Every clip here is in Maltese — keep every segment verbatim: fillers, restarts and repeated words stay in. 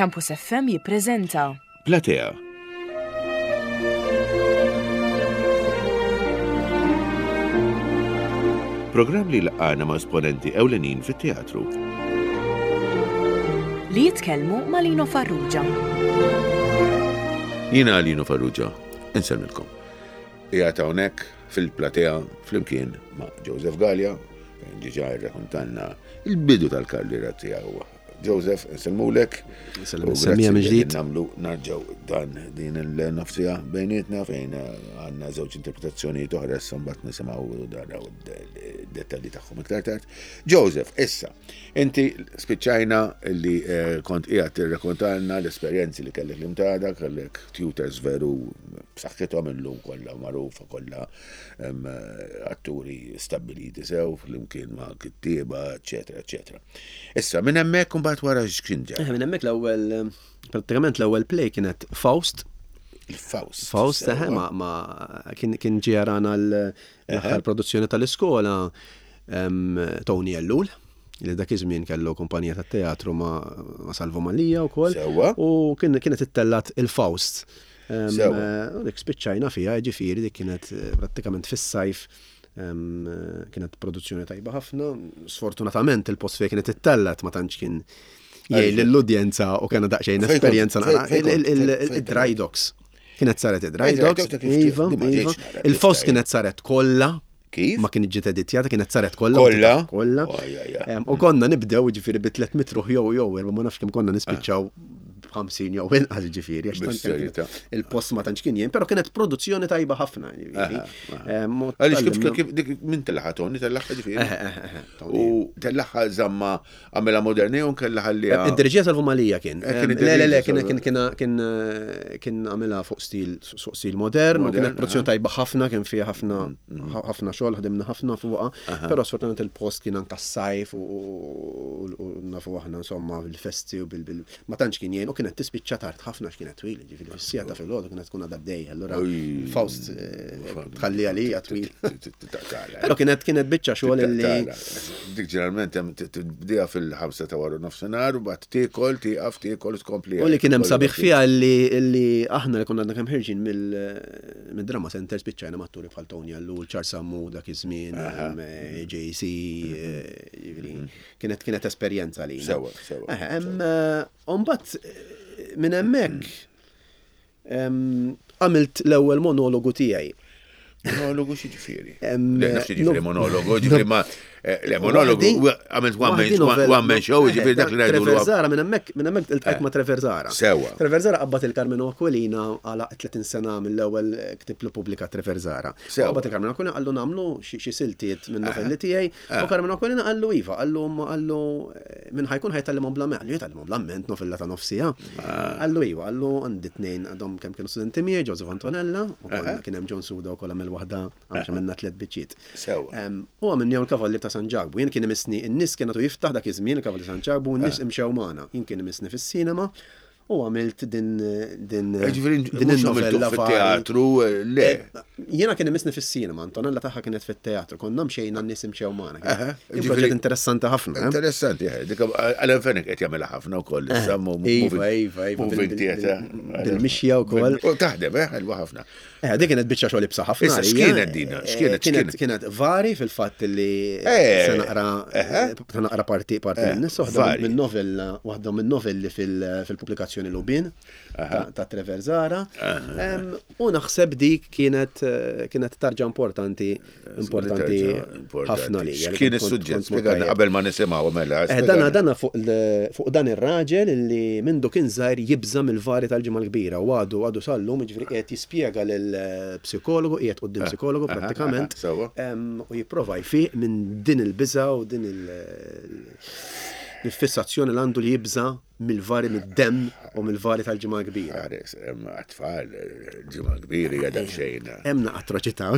Campus F M jippreżenta Platea. Programm li laqana ma' esponenti ewlenin fit-teatru. Li jitkellmu ma' Lino Farrugia. Jiena Lino Farrugia, insellmilkom. Qiegħed hawnhekk fil-platea flimkien ma' Joseph Galea, fejn diġà rrakkontanna il-bidu tal-karriera tiegħu. Joseph, insellmulek. Insellem, insemmija minn ġdid. Nagħmlu narġgħu dan din il-nofsija bejnietna fejn għandna żewġ interpretazzjonijiet oħra, issa mbagħad nisimgħu naraw id-dettalji tagħhom iktar tard. Joseph, issa, inti spiċċajna li eh, kont qiegħed tirrakkontalna l-esperjenzi li kellek l-Imtada, kellek tutors veru b'saħħithom, illum kollha magħrufa, kollha em, atturi stabbiliti sew flimkien ma' kittieba, eċetera, eċetera. Issa, minn hemmhekk imbagħad wara x'kien ġara? Eh, minn hemmhekk l-ewwel, prattikament l-ewwel play kienet Faust. Il-Faust. Faust, Sewa. eh, ma, ma kien kien ġie jarana l-aħħar produzzjoni tal-iskola em, Tony Ellul, li dak iż-żmien kellu kumpanija tat-teatru ma, ma Salvo Mallia wkoll. Sewa. U kien kienet ittellat il-Faust. Em, Sewa. eh, U dik spiċċajna fiha, ġifieri dik kienet eh, prattikament fis-sajf. em, eh, Kienet produzzjoni tajba ħafna. Sfortunatament il-post fejn kienet ittellat ma tantx kien jgħin lill-udjenza u kena daqsxejn Fejn kont? esperjenza Fejn- naqra. fejn kont? Il- il- Fejn- fejn Il-Dry Docks. Kienet saret id-Dry Dry Docks. Docks, dak kif Iva, di ma iva. ġietx nara, Il-Faust kif kienet saret kollha. Kif? Ma kienet ġiet editjata, kienet saret kollha. Kollha? Kollha. Oj, oj, oj. Em, U konna nibdew ġifieri bi tliet mitt ruħ jew jew erba' ma nafx kemm konna nispiċċaw b'ħamsin jew inqas ġifieri, għax tant Bis-serjetà. il-post ma tantx kien jien, però kienet produzzjoni tajba ħafna ġifieri. Em, u Għaliex kif tgħallimna- kif dik min tellagħha, Tony tellagħha ġifieri? Eh, eh, eh, eh, Tony. U tellagħha żamma għamela moderni u nkella ħalliha. Id-dirġija Salvo Mallia kien. Eh, kien Em, Le, le, le, id-dirġija kien Salvo. kien kien kien kien għamilha fuq stil fuq stil modern, u Modern, kienet produzzjoni aha. tajba ħafna, kien fiha ħafna ħafna xogħol, ħdimna ħafna fuqha, però sfortunatament il-post kien anka s-sajf u u- u nafu aħna insomma bil-festi u bil bil ma tantx kien jgħin u kienet tispiċċa tard ħafna għax kienet twil, ġifieri fis-siegħa ta' filgħodu kienet tkun għadha għaddejja, allura Oj. Faust eh, tħalli għalija twil. Taqtala. Però kienet kienet biċċa xogħol li Dik ġeneralment hemm tibdija fil-ħamsa ta' wara nofsinhar u bagħad tiekol, tieqaf, tiekol, tkompli. U li kien hemm sabiħ fiha li li aħna li konna għadna kemm ħerġin mill-Drama Center spiċċajna m'atturi bħal Tony Ellul, Charles Sammu dak iż-żmien, em, eh, J C, eh, jiġifieri, kienet kienet esperjenza li. Sewa, sewa, U mbagħad eh, minn hemmhekk em, għamilt l-ewwel monologu tiegħi. Monologu xi ġifieri? Em, Le, nafx ġifieri no- monologu, ġifieri ma eh, le monologu, Waħdi- għamilt one waħdi man novella. one man show, ġifieri dak li ngħidu Trevor Zara, minn hemmhekk minn hemmhekk iltqajt ma' Trevor Zahra. Sewa. Trevor Zahra qabad il-Karmenu Aquilina għala tletin sena mill-ewwel ktib li pubblika Trevor Zahra. Sewa. Qabad il-Karmenu Aquilina, qallu nagħmlu xi xi siltiet minn novelli tiegħi u Karmenu Aquilina qallu iva, qallu qallu eh, minn ħa jkun ħa jtgħallimhom bl-amment, qallu jitgħallimhom bl-amment novella ta' nofs siegħa. Qallu iva, qallu għandi tnejn għadhom kemm kienu studenti miegħi, Joseph Antonella, u konna kien hemm John Suda wkoll għamel waħda għax għamilna tliet biċċiet. Sewa. Em, U għamilna l-Kavallier ta' San Ġakbu. Jien kien imissni, n-nies kienu jiftaħ dak iż-żmien il-Kavallier ta' San Ġakbu, n-nies imxew magħna. Jien kien imissni fis-sinema u għamilt din din Ġifieri din mhux għamiltu in-novella fit-teatru, eh, le. Jiena kien imissni fis-sinema, Antonella tagħha kienet fit-teatru, konna mxejna n-nies imxew magħna. Aha, Kien ġifieri- proġett interessanti ħafna. eh? Interessanti, eh, dik Alan Fenech qed jagħmilha ħafna wkoll issa mu- Iva, moving- iva, iva, moving bil- bil- theatre. bil-mixja wkoll. U taħdem, eh, ħelwa ħafna. Eh, dik kienet biċċa xogħol ibsa ħafna. Issa, għalija. x'kienet dina? X'kienet- Eh, Kienet x'kienet? kienet vari fil-fatt li Eh, se naqra eħe. se naqra parti parti Eh, minn nies, waħda vari. minn novella, waħda minn novelli fil- fil-pubblikazzjoni Lubin ta' ta' Trevor Zahra. Em, U naħseb dik kienet eh, kienet tarġa importanti importanti ħafna li. X'kien is-suġġett? Spjegana qabel ma nisimgħu mela. Eh, spjegana. Dana dana fuq il- fuq dan ir-raġel li mindu kien żgħir jibża mill-vari tal-Ġimgħa l-Kbira u għadu għadu sallum, jiġifieri qiegħed jispjega lill-psikologu, qiegħed quddiem psikologu aha, prattikament aha, sewa. em, u jipprova jfiq minn din il-biża u din il-fissazzjoni li għandu li jibża mill-vari mid-demm u mill-vari tal-Ġimgħa l-Kbira. Ħares, hemm għat-tfal, Ġimgħa Kbira hija daqsxejn. Hemm atroċità.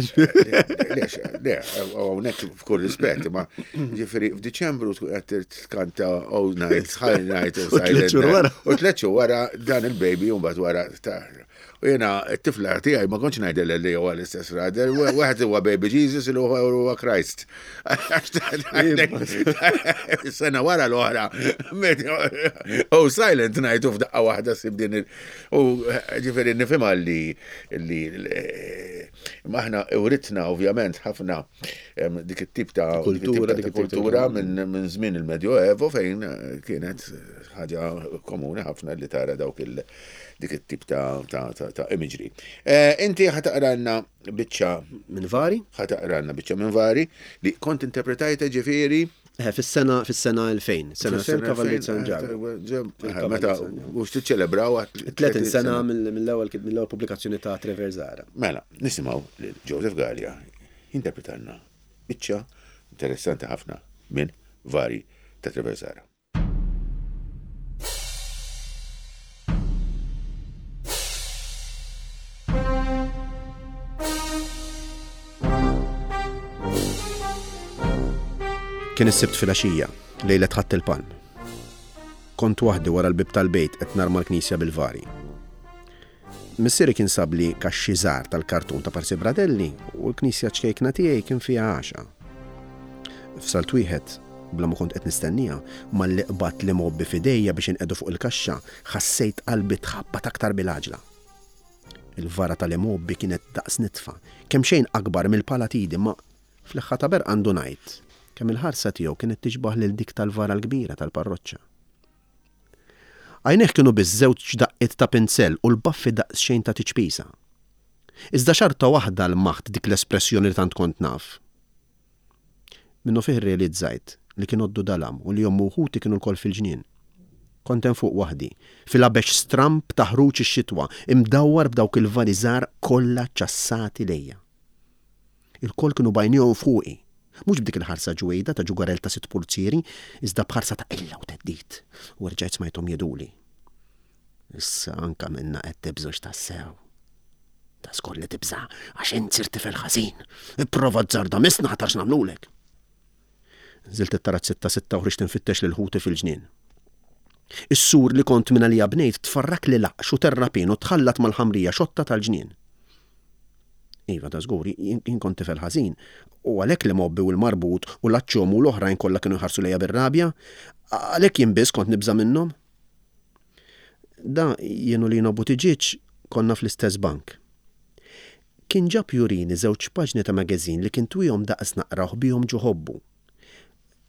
Lex, le, hawnhekk f'kull rispett, ma ġifieri f'Diċembru tkun qed tkanta All Night, High Night, U tliet xhur wara. U tliet xhur wara dan il-baby u mbagħad wara ta' U jiena t-tifla tiegħi ma kontx ngħidilha li huwa l-istess raġel, wieħed huwa Baby Jesus u huwa Christ. Sena wara l-oħra. Oh, Silent Night u f'daqqa waħda sib din il. U ġifieri nifhimha li li aħna uritna ovvjament ħafna dik it-tip ta' kultura, dik kultura minn żmien il-Medjoevo fejn kienet ħaġa komuni ħafna li tara dawk il dik it-tip ta' ta' imagery. Inti ħa taqralna biċċa minn Vari? Ħa taqralna biċċa minn Vari li kont interpretajta ġifieri Fis-sena fis-sena elfejn, sena elfejn Kavallier San Ġakbu. Meta mhux tiċċelebraw tletin sena mill-ewwel mill-ewwel pubblikazzjoni ta' Trevor Zara. Mela, nisimgħu lil Joseph Galea jinterpretalna biċċa interessanti ħafna minn Vari ta' Trevor Zara. Kien is-Sibt filgħaxija, lejlet Ħadd il-Palm. Kont waħdi wara l-bib tal-bejt qed narma l-knisja bil-vari. Missieri kien sabli kaxxi żgħar tal-kartun ta' Parsi Bradelli u l-knisja ċkejkna tiegħi kien fiha għaxa. F'salt wieħed, bla ma kont qed nistennija, malli qbadt li mobbi f'idejja biex inqedu fuq il-kaxxa, ħassejt qalbi tħabbat aktar bil-għaġla. Il-vara tal-imobbi kienet daqs nitfa, kemm xejn akbar mill-palatidi, ma fl-eħħa ta' berqa għandu ngħid kemm il-ħarsa tiegħu kienet tixbaħ lil dik tal-vara l-kbira tal-parroċċa. Għajnejh kienu biss żewġ daqqiet ta' pinzell u l-baffi daqsxejn ta' tiċpisa. Iżda xarta waħda l-maħt dik l-espressjoni li tant kont naf. Minnu fih realizzajt li kien għoddu dalam u li jommu ħuti kienu l-kol fil-ġnien. Kont hemm fuq waħdi, fil-abex stramp ta' ħruġ ix-xitwa, imdawwar b'dawk il-vari żgħar kollha ċassati lejja. Il-kol kienu bajnihom fuqi, mhux b'dik il-ħarsa ġwejda ta' ġugarel ta' sitt pulzieri, iżda b'ħarsa ta' qilla u teddid, u rġajt smajthom jeduli. Issa anka minna qed tibżux tassew. Ta' żgur li tibża' għax int sirt tifel ħażin. Ipprova tżarda misna ħatarx nagħmlulek. Nżilt it-tarazzetta sitta u ħriġt infittex lil ħuti fil-ġnien. Is-sur li kont minn għalija bnejt tfarrak li laqx u terrapin u tħallat mal-ħamrija xotta tal-ġnien. Iva, ta' żgur, jien kont tifel ħażin, u għalhekk li mobbi u l-marbut u l-aċċom u l-oħrajn kollha kienu jħarsu lejja bir-rabja, għalhekk jien biss kont nibża' minnhom. Da jien u Lino Buttigieg konna fl-istess bank. Kien ġab jurini żewġ paġni ta' magazin li kien twihom daqs naqrawh bihom ġo ħobbu.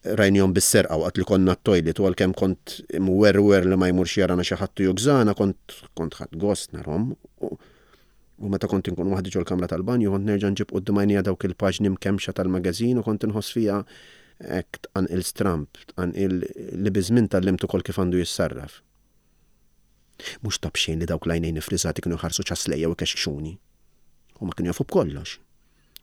Rajnihom bis-serqa waqt li konna t-toilet u għalkemm kont imwerwer li ma jmurx jarana xi ħadd jugżana, kont kont ħadd gost narhom. U meta kont inkun waħdi ġol-kamra tal-banju, kont nerġa' nġib quddiem għajnija dawk il-paġni mkemmxa tal-magazin u kont inħoss fiha hekk tqanqil stramp, tqanqil li biżmien tallimt ukoll kif għandu jissarraf. Mhux ta' b'xejn li dawk l-għajnejn ifriżati kienu jħarsu ċaslejja u jkexkxuni. U ma kienu jafu b'kollox.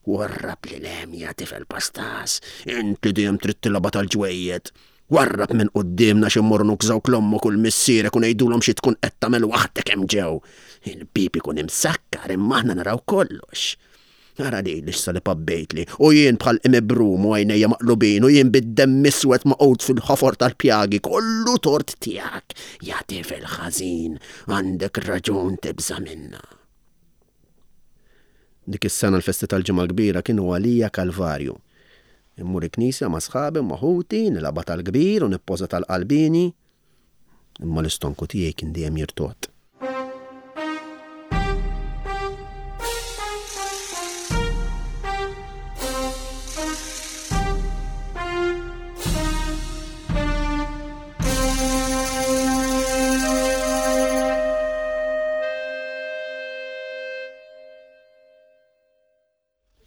Warrab li lem ja tifel pastas, int li dejjem trid tilgħabha tal-ġwejjed. Warrab minn quddiemna xi mmorru nukżawk l-ommok u l-missierek u ngħidulhom xi tkun qed tagħmel waħdek hemm ġew. Il-bib ikun imsakkar imma aħna naraw kollox. Ara li issa li pabbejtli u jien bħal imibrum u għajnejja maqlubin u jien bid-demm iswed maqgħud fil-ħofor tal-pjagi, kollu tort tiegħek. Ja tifel ħażin, għandek raġun tibża' minna. Dik is-sena l-festi tal-Ġimgħa l-Kbira kienu għalija kalvarju. Immur il-knisja ma' sħabi ma' ħuti, nilgħabha tal-kbir u nippoża tal-qalbini. Imma l-istonku tiegħi kien dejjem jirtot.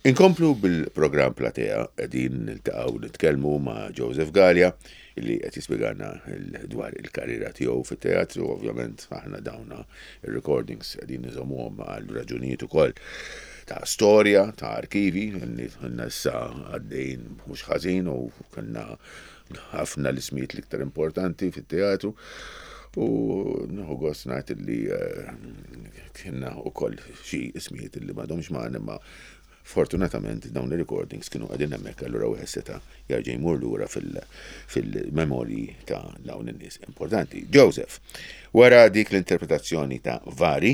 Inkomplu bil-programm Platea, qegħdin niltaqgħu nitkellmu ma' Joseph Galea illi qed jispjegana dwar il-karriera tiegħu fit-teatru. Ovvjament aħna dawna ir-recordings qegħdin niżommuhom għal raġunijiet ukoll ta' storja, ta' arkivi, għandna issa għaddejn mhux ħażin u kellna ħafna l-ismijiet l-iktar importanti fit-teatru. U nieħu gost ngħid illi kienna wkoll xi ismijiet illi m'għadhomx magħna, imma fortunatament dawn ir-recordings kienu qegħdin hemmhekk, allura wieħed seta' jerġa' jmur lura fil-memorji ta' dawn in-nies importanti. Joseph, wara dik l-interpretazzjoni ta' Vari,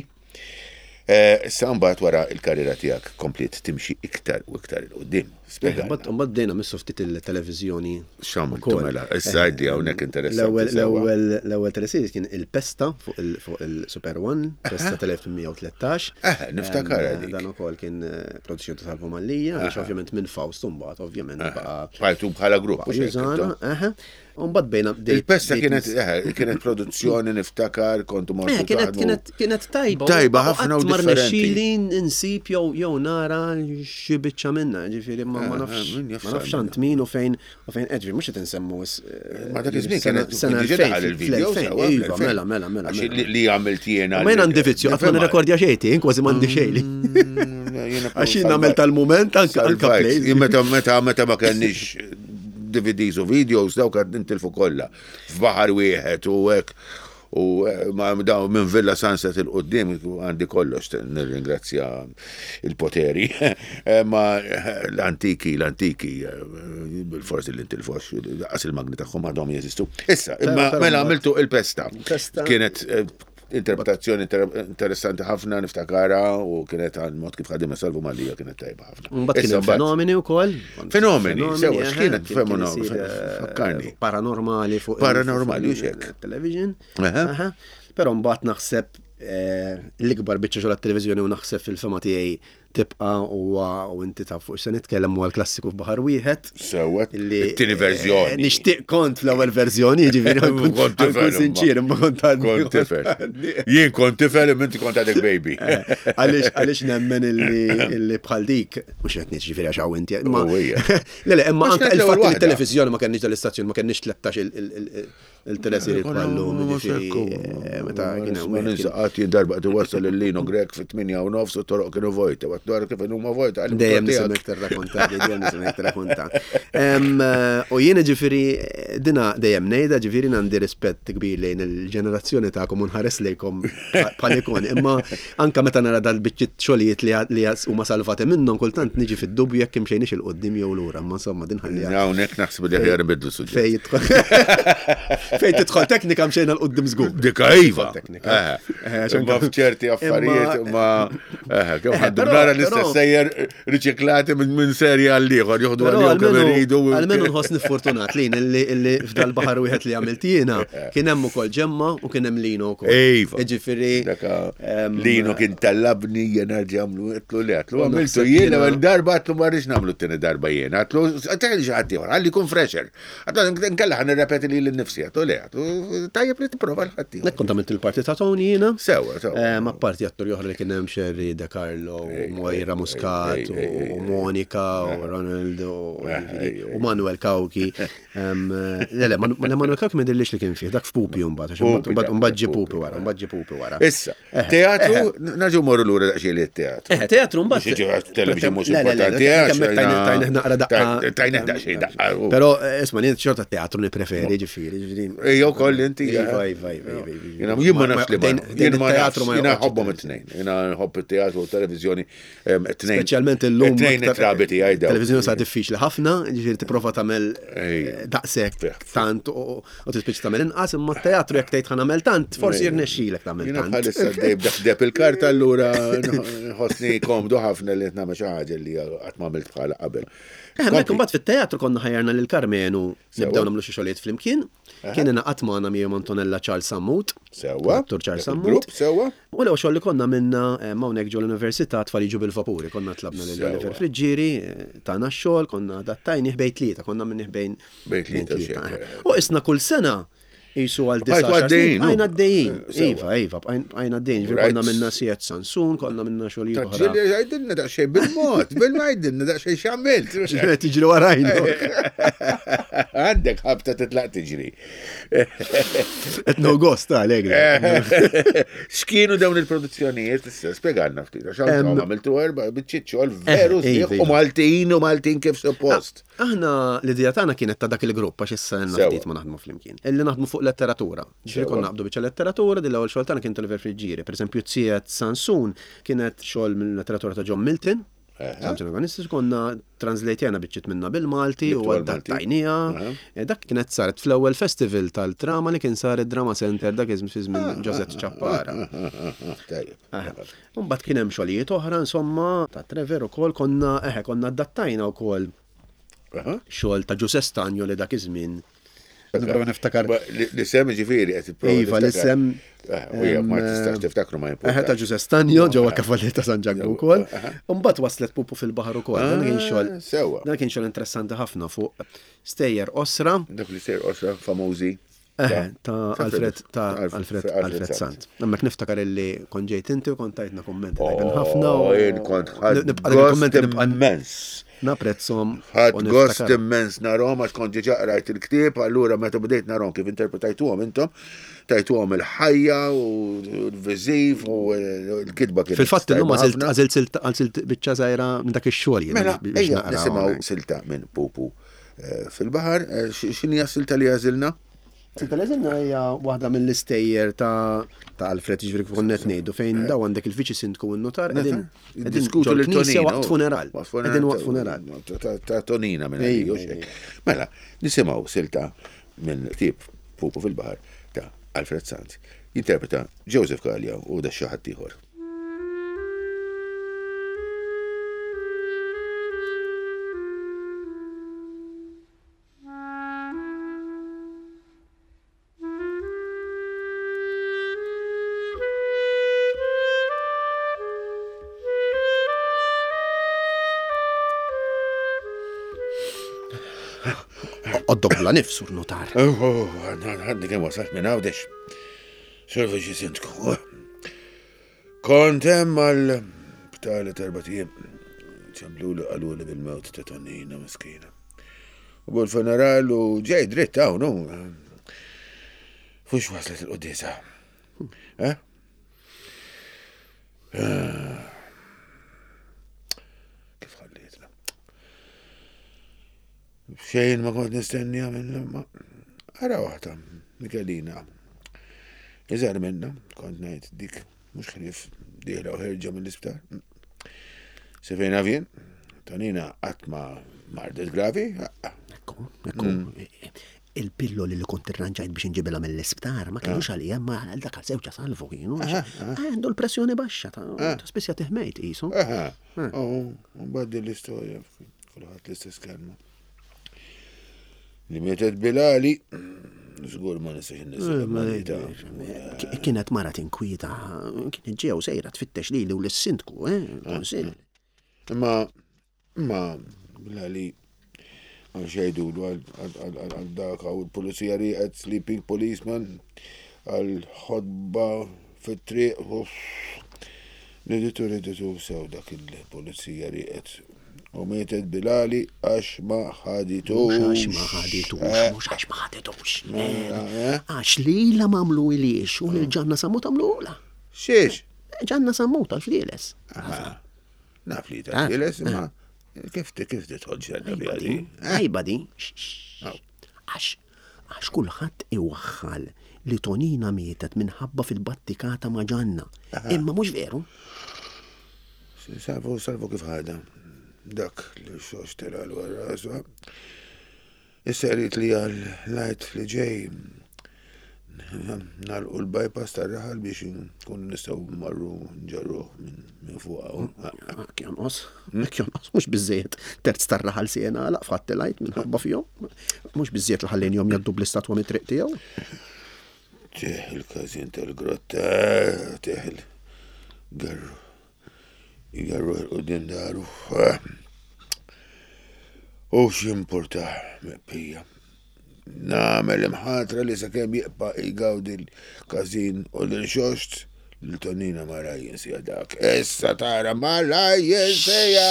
Eh, Issa mbagħad wara il-karriera tiegħek kompliet timxi iktar u iktar 'il quddiem. Spjega. Mbagħad mbagħad bdejna missu ftit il-televiżjoni. X'għamiltu ukoll. mela? Issa għidli hawnhekk interessanti. L-ewwel sewwa. l-ewwel l-ewwel teleseries kien il-Pesta fuq il fuq il-Super One, Pesta tal-elf tmien mija u tlettax. Eh, niftakar Em, dik. Dan ukoll kien eh, produzzjoni ta' Salvo Mallia, għaliex ovvjament minn Faust mbagħad ovvjament baqa' Bqajtu bħala grupp. baqa' mhux hekk jużana, intom? eħe. U mbagħad bejna bdejt- Il-Pesta bdejt kienet eh, kienet produzzjoni, niftakar, kontu mortu Eh, kienet taħdmu. kienet kienet tajba. Tajba ħafna u qatt ma differenti. rnexxieli insib jew jew nara xi biċċa minnha, ġifieri ma ma Eh, nafx min jaf ma nafx sar għand min u fejn u fejn qed, mhux qed insemmu eh, Ma dak iż-żmien sena- kienet sena diġà elfejn, daħal il-video fl-elfejn, sewwa, Iva, fl-elfejn. mela, mela, mela. Għax mela. li- li għamilt jiena. Ma jien għandi vizzju, qatt ma nirrekordja xejn, jien kważi m'għandi xejn li. Mm, Għax jien nagħmel tal-mument anke anke plays. Jien meta meta meta ma kenniex D V Ds u videos, dawk għad nintilfu kollha f'baħar wieħed u hekk u eh, ma daw minn Villa Sunset 'il quddiem għandi kollox, nirringrazzja il-poteri. Eh, ma eh, l-antiki l-antiki eh, bil-forsi li intilfox qas il-magni tagħhom għadhom jeżistu. Issa, imma Però mela mbagħad- għamiltu il-Pesta. Pesta. Kienet eh, interpretazzjoni inter- interessanti ħafna, niftakara, u kienet għal mod kif ħadima Salvu Mallia, kienet tajba ħafna. Mbagħad kien Issa hemm mbagħad- Fenomeni wkoll. Fenomeni, sewa, eħe, x'kienet kien- kien Fenomeni? isir, eh, Fakkarni. Paranormali fuq il- Paranormali, fuq u xek. il-television. Eħe. Eħe. Però mbagħad naħseb eh, l-ikbar biċċa xogħol għat-televiżjoni u naħseb fil-fema tiegħi tibqa' huwa, u inti taf fuq se nitkellem, huwa l-klassiku F'Baħar Wieħed. Sewwa, Illi, it-tieni verżjoni. eh, Nixtieq kont fl-ewwel verżjoni, jiġifieri Kont kont tifel, imma. sinċir, imma kont għadni. Kont tifel. Jien kont tifel, imma inti kont għadek baby. Eh, Għaliex għaliex nemmen illi illi bħal dik, mhux qed ngħid ġifieri għax hawn inti, imma Oh, ija. Le le, imma Għax anke kienet il-fatt l-ewwel li waħda. t-televiżjoni ma kenniex dal-istazzjon, ma kenniex tlettax il-teleseri bħallum, ġifieri eh, meta kien hemm Ma wieħed kien- ninsaqat jien darba qed iwassal il-Lino Grech fit-tmienja u nofs u toroq kienu vojta. Għat dwar kif huma vojta. Għalli Dejjem tiegħek. nisimek tirrakonta, dejjem nisimek tirrakonta. Em, eh, U jiena ġifieri, eh, dina dejjem ngħidha, ġifieri għandi rispett kbir lejn il-ġenerazzjoni tagħkom u nħares lejkom bħal ikoni. Imma anka meta nara dal-biċċiet xogħlijiet li li huma salvati minnhom, kultant niġi fid-dubju jekk imxejniex 'il quddiem jew lura. Imma insomma din ħallija. Hawnhekk naħseb li aħjar nbidlu suġġett. Fej jidħol Fej tidħol teknika mxejna 'l quddiem żgur. Dika iva. Teknika. Eh, Eh, Imma f'ċerti affarijiet ma eh, kemm Eh, ħaddu però- nara l-istess però- sejjer riċiklati minn minn serja għal ieħor joħdu Però għalihom kemm almenu iridu. almenu nħossni fortunat lin illi illi f'dal baħar wieħed li għamilt jiena kien hemm ukoll Ġemma u kien hemm Lino wkoll. Iva. Jiġifieri Daka em, Lino kien tallabni jena ġamlu, għedtlu le, għedtlu għamiltu naħseb jien jiena- l-ewwel darba, għedtlu ma rridx nagħmlu t-tieni darba jien, għedtlu għedtlu xi ħadd ieħor, għalli jkun fresher. Għedtlu nkella ħa nirrepeti li l-nifsi, għedtlu le, għedtlu tajjeb li tipprova l-ħadd ieħor. Nek kont għamilt il-parti ta' Tony jiena. Sewa, sewa. Eh, Ma parti attori oħra li kien hemm Sherry De Carlo, u Moira Muscat, ej, ej, ej, u Monica, u Ronald, u Ej, ej, u Manuel Cauchi. Em, Le, le, Manu- le, Manuel Cauchi ma jidhirlix li kien fih, dak f'Pupi mbagħad, għax Pupi, mbagħad dak, mbagħad ġie Pupi. Pupi wara, mbagħad ġie Pupi wara. Issa, teatru, naġu morru lura daqsxejn li teatru. Eh, teatru mbagħad. Mhux jiġi television mhux Le, le, le, importanti. le, eh, kemm hekk tajna- tajna naqra daqqa. Tajna daqsxejn daqqa. Però eh, isma' jien xorta teatru nippreferi, ġifieri, ġifieri. Ejja wkoll inti. Iva, iva, iva, iva, iva. Jiena jien ma nafx li ma. Dejn- dejn Jien ma it-teatru nafx, ma jiena joqgħodx nħobbhom it-tnejn. Jiena nħobb it-teatru u televizjoni it-tnejn. Speċjalment illum. It-tnejn aktar- it-trabi tiegħi daw. Televizjoni sa diffiċli ħafna, ġifieri tipprova tagħmel Ejja. eh, daqshekk Fih. tant u u tispiċċa tagħmel inqas, imma t-teatru jekk tgħid ħa nagħmel tant, forsi jirnexxilek tagħmel Jiena tant. bħalissa dejb deb il-karta, allura nħossni komdu ħafna li nagħmel xi ħaġa li qatt ma għamilt bħala qabel. Eh, Hemmhekk imbagħad fit-teatru konna ħajjarna lil Karmenu Sewa. nibdew nagħmlu xi xogħlijiet flimkien. Kien ingħaqad magħna miegħu Antonella Charles Sammut. Sewa. Dottor Charles Dak Sammut. il-grupp, sewa. U l-ewwel xogħol li konna minna eh, hawnhekk ġol università Tfal Jiġu bil-Vapuri, konna tlabna lil Sewa. Oliver Friġġieri, eh, tagħna x-xogħol, konna adattajnih bejn tlieta, konna minn bejn Bejn tlieta, xejn. eh. U isna kull sena jisu għal Bqajtu disa' għaddejjin, Bqajna u? għaddejjin. Eh, sewa. Iva, iva, bqajna għaddejjin. Ġifieri Right. konna minna Siet Sansun, konna minna xogħlijiet oħra. Ġili, għajdilna daqsxejn bil-mod, bil-mod għajdilna daqsxejn x'għamilt. Ġifieri tiġri warajna. Għandek ħabta titlaq tiġri. Qed no gost għalek. X'kienu dawn il-produzzjonijiet? Issa spjegalna ftit. Għax għamiltu għamiltu erba' biċċiet xogħol veru Eh, sbieħ iva, u Maltin u Maltin kif suppost. Aħna l-idea tagħna kienet ta' dak il-grupp għax issa għandna Sewa. ftit ma naħdmu flimkien. Illi naħdmu fuq letteratura. Ġifieri Sewa. konna naqbdu biċċa letteratura, din l-ewwel xogħol tagħna kien Oliver Friġġieri. Pereżempju Ziet Sansun kienet xogħol mill-letteratura ta' John Milton. Samson Agonistis konna translatejna biċċiet minna bil-Malti u Jibtu għal-Malti. adattajnija. Eh, Dak kienet saret fl-ewwel festival tal-drama li kien sar id-Drama Center dak iż fi żmien Joseph Ciappara. Tajjeb. Mbagħad kien hemm xogħlijiet oħra insomma ta' Trevor ukoll konna eħe konna adattajna wkoll Aha. xogħol ta' Giuseppe Stagno li dak iż-żmien. Nipprova niftakar. Ba- Li li sem ġifieri qed tipprova Iva, li tiftakar. sem. Eh, U jekk ma tistax tiftakru ma Eħe ta' importax. Giuseppe Stagno ġewwa Kavallier ta' San Ġakbu wkoll. Mbagħad waslet Pupu fil-baħar ukoll. Dan kien Ah, xogħol. Sewwa. Dan kien xogħol interessanti ħafna fuq stejjer osra. Dak li sejr osra famużi. Eħe, ta' Alfred, ta' Alf- Alfred, Alfred Alfred Sant. Sant. Hemmhekk niftakar illi kont ġejt inti u kont tajtna kummenti tajbin ħafna. Oh, u- jien kont ħadd Nibqa' dak il-kummenti gost nibqa' immens. naprezzhom. Ħadd u gost niftakar. immens narhom għax kont diġà qrajt il-ktieb, allura meta bdejt narhom kif interpretajtuhom intom, tajtuhom il-ħajja u l-viżiv u l-kitba kienet. Fil-fatt illum tajba għażilt ħafna. għażilt silt- għażilt biċċa żgħira minn dak ix-xogħol jien Mela, biex ejja naqra nisimgħu hawnhekk. silta minn Pupu eh, fil-baħar, Eh, x- x'inhi silta li għażilna? Silta li għażilna hija waħda mill-istejjer ta' ta' Alfred jiġifieri kif konna qed ngħidu fejn daw għandek il-viċi sindku u n-notar qegħdin qegħdin Diskutu lil ġol-knisja Tonina. waqt funeral. Waqt funeral. Qegħdin waqt funeral. Ta- Ta' Tonina minn Ejja, għalija, ejja. Mela, nisimgħu silta minn tip Pupu fil-baħar ta' Alfred Sant. Jinterpreta Joseph Gallia u da xi ħadd ieħor. Għoddok bla nifs sur notar. Oh, oh, Għadni kemm wasalt minn Għawdex. Sur viċi sindku. Kont hemm għal btali erba' ijiem. Ċemplu li qaluli bil-mewt ta' Tonina miskina. U bil-funeral u ġej dritt hawn hu. Fux waslet il-quddiesa. Eh? Ah. Kif ħallietna? Xejn ma kont nistennija minn ma. Ara waħda, Mikelina. Iżgħar minna, kont ngħid dik mhux ħlief dieħla u ħerġa mill-isptar. Se fejn avjen, Tonina qatt ma mardet gravi, Ekku, ekku. Il-pilloli li kont irranġajt biex nġibilha mill-isptar ma kienux għalija, ma għal dak għal żewġha salvu kienu. Għandu l-pressjoni baxxa ta' ta' spiss jagħtih mejt qisu. Aha, oh, mbagħad l-istorja, kulħadd l-istess kelma. Li mietet Bilali, żgur ma nistax inniżel Ki- Kienet mara tinkwieta, kienet ġew sejra tfittex lili u lis-sindku, eh, konsil. Imma, imma, Bilali, għal xejdu għal dak għaw il-pulizija riqet sleeping policeman, għal ħodba fit-triq, uff. Riditu, riditu, sew dak il-pulizija riqet. U mietet Bilali għax ma ħaditux. Mhux għax ma ħaditux, mhux għax ma ħaditux. eh? Għax lila m'għamlu iliex u lil Ġanna Sammut għamlula. Xiex? Ġanna Sammut għal-flieles. Naf li ta' flieles, imma kif kif tidħol ġenna Għajba bi di, għajba di. Għax, għax kulħadd iwaħħal li Tonina mietet minħabba fil-battikata ma' Ġanna. Imma mhux veru. Salvu, salvu kif ħada. Dak li xox tela l-warrasu. Issa rrit li għal lajt li ġej nalqu l-bypass tar-raħal biex nkunu nistgħu marru nġarruh minn fuq hawn. Hekk jonqos, hekk jonqos, mhux biżejjed terz tar-raħal sena laq fatt lajt minħabba fihom. Mhux biżejjed li ħallejnihom jgħaddu bl-istatwa mit-triq tiegħu. Teħ il-każin tal-grotta, teħ il-garru. Igarru il-qudiem daru. U x'importa meqpija. Namel imħatra li sakemm jibqa' jgawdi l-każin u l-xoxt l-tonina ma rajjen sija dak. Issa tara ma rajjen sija.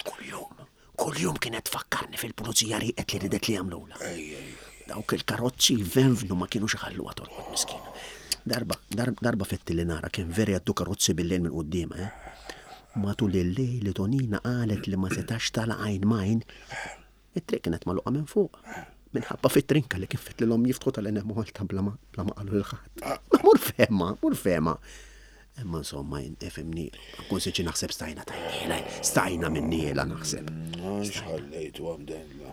Kuljum, kuljum kienet tfakkarni fil-pulizija riqet li ridet li jagħmlula. Dawk il-karozzi venvnu ma kienux iħalluha torqod miskina. Darba, dar- darba fetti li nara kien veri għaddu karozzi bil-lejl minn quddiem, eh? Matul il-lejl li Tonina qalet li ma setax tala għajn majn, it-triq kienet magħluqa minn fuq. Minħabba fit-trinka li kien fit l-om jiftħu tal-enem Malta bla ma bla ma qalu l-ħadd. Ma mur fema, mur fema. Imma insomma, ifhimni, nkun sinċier naħseb stajna tajniela, stajna minniela naħseb. Xħallejtu għamdenla.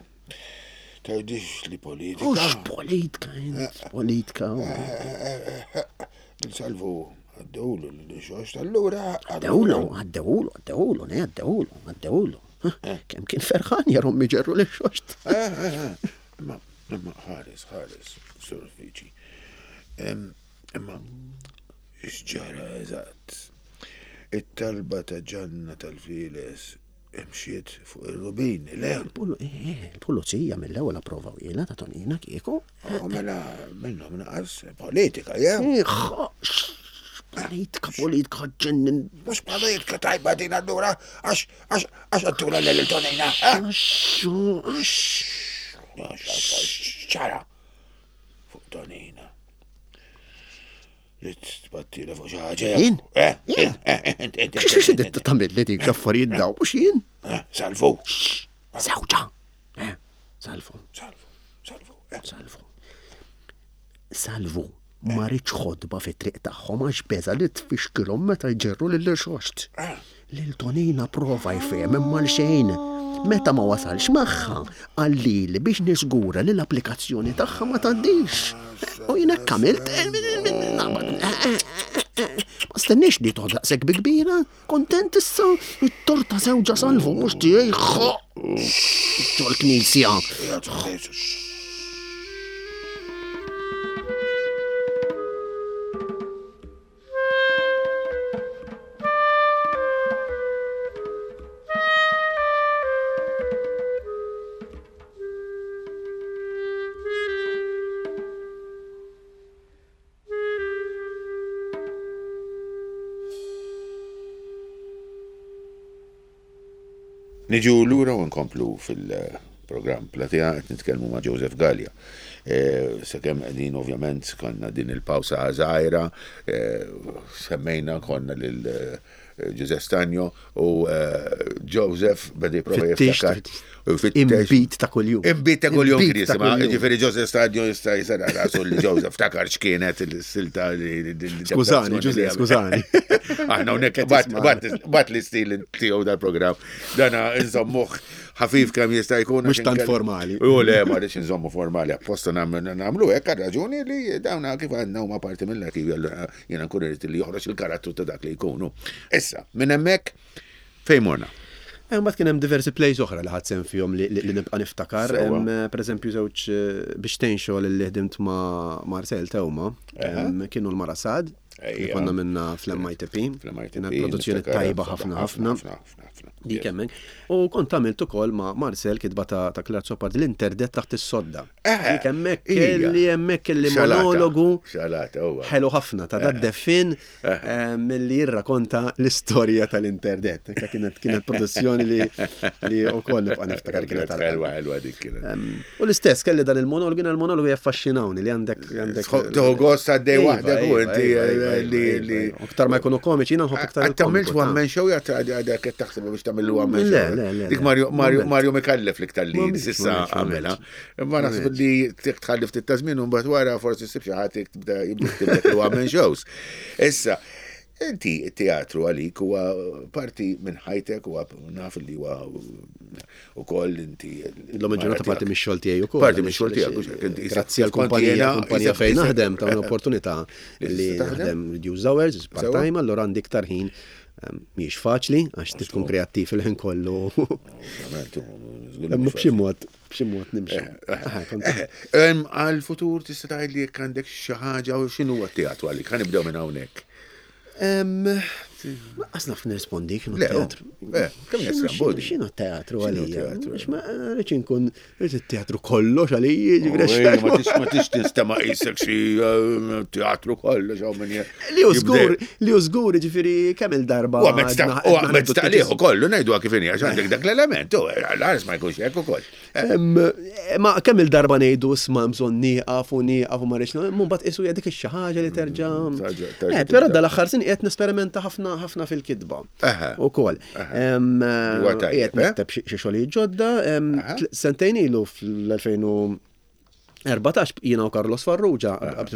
Tajdix li politika. Ux politika, politika. Salvu, għaddewlu l-xox tal-lura. Għaddewlu, għaddewlu, għaddewlu, ne, għaddewlu, għaddewlu. Kem kien ferħan jarom miġerru l-xoxt. Imma, imma, ħares, ħares, sur Fiċi. Imma, x'ġara eżatt? It-talba ta' Ġanna tal-Files imxiet fuq ir-rubini, le? Il-pulizija mill-ewwel approvaw jiena ta' Tonina kieku. Mela, minnhom naqas politika, ja? Politika, politika, ġennin. Mhux politika tajba din allura, għax għax għax għattula lil Tonina. Għax, għax. Ċara fuq Tonina. Li tbattila fuq xi ħaġa. Jien? Eh, eh, eh, Xi xi tagħmel li dik affarijiet daw, mhux jien? Salvu. Sewġa. Salvu. Salvu, salvu. Salvu. Salvu. Ma rridx ħodba fit-triq tagħhom għax beża li tfixkilhom meta jġerru lil xoxt. Lil Tonina prova jfehem imma l xejn. Meta ma wasalx magħha, qalli biex niżgura li l-applikazzjoni tagħha ma tgħaddix. U jien hekk għamilt. Ma stennix li toħod daqshekk bi kbira. Kontent issa, it-torta żewġa Salvu mhux tiegħi. Ġol-knisja. Niġu lura u nkomplu fil-programm Platea qed nitkellmu ma' Joseph Galea. Sakemm qegħdin ovvjament konna din il-pawsa żgħira, semmejna konna lil Giuseppe Stagno u Joseph beda jipprova jiftakar. Imbit ta' kuljum. Imbit ta' kuljum kien jisimha. Ġifieri Joseph Stagno jista' jisara rasu li Joseph takar x'kienet il-silta li. Skużani, Giuseppe, skużani. Aħna hawnhekk bat l-istil tiegħu dal-programm. Dana nżommuh ħafif kemm jista' jkun. Mhux tant formali. U le, ma rridx nżommu formali, apposta nagħmlu hekk għal raġuni li dawna kif għandna huma parti mill-arkivju, allura jiena nkun irid li joħroġ il-karattru ta' dak li jkunu. Issa, minn hemmhekk fejn morna? Mbagħad kien hemm diversi plays oħra li ħadd sehem fihom li nibqa' niftakar. Pereżempju żewġ biex tgħin xogħol li ħdimt ma' Marcel Teuma, kienu l-Mara Sad, li konna minna fl-M I T P. Kienet produzzjoni tajba ħafna ħafna. Dik hemmhekk. U kont għamilt ukoll ma' Marcel kitba ta' Claire Zoppard l-interdett taħt is-sodda. Dik hemmhekk kelli hemmhekk kelli monologu ħelu ħafna ta' dad-deffin milli jirrakonta l-istorja tal-interdett. Kienet kienet produzzjoni li li wkoll nibqa' niftakar kienet ħelwa ħelwa dik kienet. U l-istess kelli dan il-monologu, jiena l-monologu jaffaxxinawni li għandek għandek. Tieħu gost għaddej waħdek u inti li aktar ma jkunu komiċi jiena nħobb aktar. Għamilt one man show għadek qed taħseb biex tagħmel one man show. Dik Mario Mario Mikallef l-iktar li s'issa għamilha. Imma naħseb li tħalli ftit ta' żmien u mbagħad wara forsi ssib xi ħadd jibda jiktib one man shows. Issa, inti t-teatru għalik huwa parti minn ħajtek, huwa naf li huwa ukoll inti. Illum il-ġurnata parti mix-xogħol tiegħi ukoll. Parti mix-xogħol tiegħek. Grazzi għall-kumpanija, kumpanija fejn naħdem ta' un'opportunità li naħdem reduced hours, part-time, allura għandi iktar ħin. Mhijiex faċli għax tkun kreattiv il-ħin kollu. Imma b'xi mod, b'xi mod nimxu. Għal-futur tista' tgħid li jekk għandek xi ħaġa u x'inhu huwa t-teatru għalik, ħa nibdew minn hawnhekk. Lanqas naf nirrispondi x'inhu t-teatru. X'inhu t-teatru għalija? Għax ma rridx inkun rrid it-teatru kollox għalija, ġifieri. Ma tix tinstema' qisek xi teatru kollox hawn min Li hu żgur, li hu żgur, ġifieri kemm il-darba. U għamet taqlih ukoll, ngħiduha kif inhi għax għandek dak l-element, u l-ħares ma jkunx hekk ukoll. Ma kemm il-darba ngħidu isma' bżonn nieqaf u nieqaf u ma rridx, mbagħad qisu hija dik xi ħaġa li terġa'. Però dal-aħħar sin qiegħed nesperimenta ħafna ħafna fil-kitba. Ukoll. Qiegħed nikteb xi xogħlijiet ġodda, sentejn ilu fl-elfejn u Erbatax jiena u Carlos Farrugia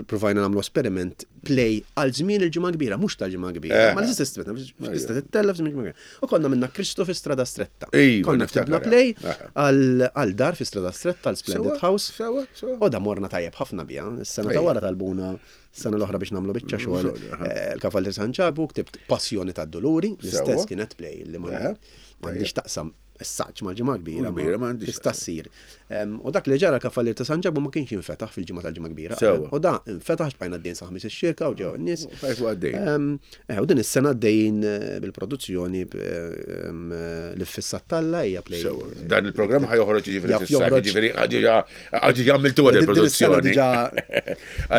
provajna nagħmlu esperiment play għal żmien il-Ġimgħa Kbira, mhux tal-Ġimgħa Kbira. Eh. Ma l-istess tista' tittella f'żmien il-Ġimgħa Kbira. U konna minna Kristo fi Strada Stretta. Iva, Konna niftakar, ktibna play eh. għal għal dar fi Strada Stretta, għal Splendid Sewa, House. sewa, sewa. U da morna tajjeb ħafna bija. Is-sena ta' Ejja. wara talbuna s-sena l-oħra biex nagħmlu biċċa xogħol. Xogħol, aha. eh, Il-Kavallier San Ġabu ktibt Passjoni tad-Doluri, l-istess Sewa. kienet play li ma Eħe. m'għandix taqsam s-saċ mal-Ġimgħa Kbira. Kbira, m'għandix Tista' ssir. Em, U dak li ġara l-Kavallier ta' San Ġabu ma kienx jinfetaħ fil-ġimgħa tal-Ġimgħa Kbira. Sewa. U da infetaħ xbajna d-din sa' ħamis ix-xirka u ġew n-nies. Bqajtu għaddejjin. Em, eh, U din is-sena għaddejjin eh, bil-produzzjoni eh, em, eh, li fissat talla hija play. Sewa. Dan il-programm ħa joħroġ ġifieri Jaf fis-sajf, joħroġ. ġifieri għadġi għamiltu għad Din is-sena il-produzzjoni. diġà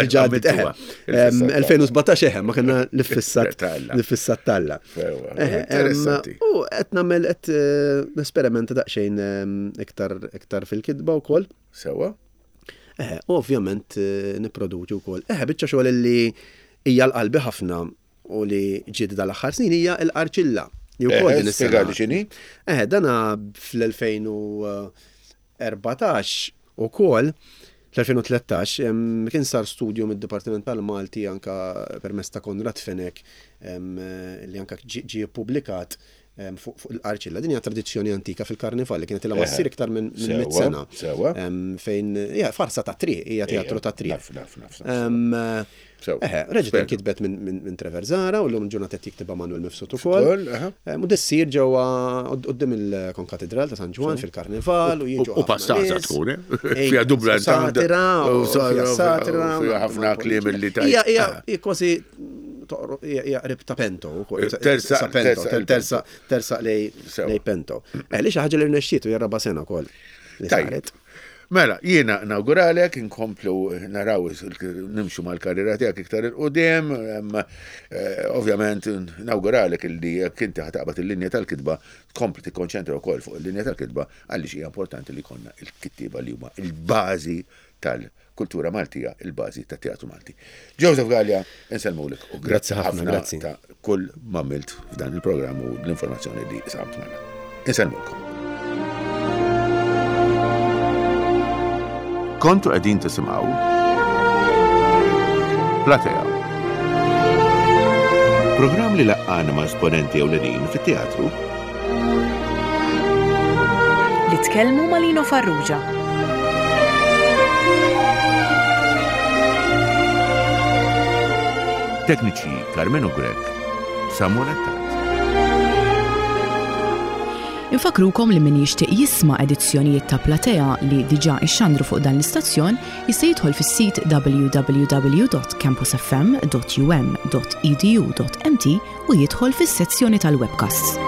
diġà Għamiltuha. Em, elfejn u sbatax eħe, ma kellna li fissat Talla. li fissat talla. Sewa, Eħe, em, interessanti. U qed nagħmel qed eh, nesperimenta daqsxejn em, iktar iktar fil-kitba wkoll. Sewa. Eħe, u ovvjament eh, nipproduċi wkoll. Eħe, biċċa xogħol li hija l-qalbi ħafna u li ġiet dal-aħħar snin hija l-Qarċilla. Li wkoll Eħe, din is-sena. spjegali x'inhi? Eħe, dana fl-elfejn u erbatax ukoll fl-elfejn u tlettax em, kien sar studju mid-Dipartiment tal-Malti anka permezz ta' Konrad Fenech em, li anka ġie ġie ppubblikat em, fuq fuq il-Qarċilla. Din hija tradizzjoni antika fil-Karnival li kienet ilha ma Eħe. ssir iktar minn minn mitt Sewa, sena. sewa. Em, Fejn hija farsa ta' triq, hija teatru ta' triq. Naf, naf, naf, naf. Em, Sewa. Eħe, reġgħet Spjega. inkitbet minn minn- minn Trevor Zara u llum ġurnata qed jiktibha Manuel Mifsud ukoll. Ukoll, aha. Em, U dissir ġewwa quddiem il-Konkatedral ta' San Ġwann fil-Karnival u jiġu U ħafna pastaza nies. tkun, eh? Ej, Fiha dubla Satira, u u fiha satira. fiha ħafna kliem li tajt. Hija hija Ah. hija kważi toqro- hija hija qrib ta' Pento ukoll. Tersa- Sa Pento, tersa- tersa tersa lej Sewa. lej Pento. Eh, li xi ħaġa li rnexxiet u hija raba' sena wkoll. li Tajjeb. saret. Mela, jiena nawguralek, inkomplu naraw nimxu mal-karriera tiegħek iktar il-qudiem, em, eh, ovvjament nawguralek illi jekk inti ħataqbad il-linja tal-kitba, tkompli tikkonċentra wkoll fuq il-linja tal-kitba għaliex hija importanti li jkollna il-kittieba li huma il-bażi tal-kultura Maltija, il-bażi tat-teatru Malti. Joseph Galea, insellmulek u Grazzi ħafna, grazzi. ta' kull m'għamilt f'dan il-programm u l-informazzjoni li samt magħna. Insellmulkom. Kontu qegħdin tisimgħu Platea. Programm li laqqana ma' esponenti ewlenin fit-teatru Li tkellmu ma' Lino Farrugia. Tekniċi Carmenu Grech, Samuel Attard. Infakrukom li min jixtieq jisma' edizzjonijiet ta' Platea li diġà ixxandru fuq dan l-istazzjon jista' jidħol fis-sit w w w dot campus f m dot u m dot e d u dot m t u jidħol fis-sezzjoni tal-webcasts.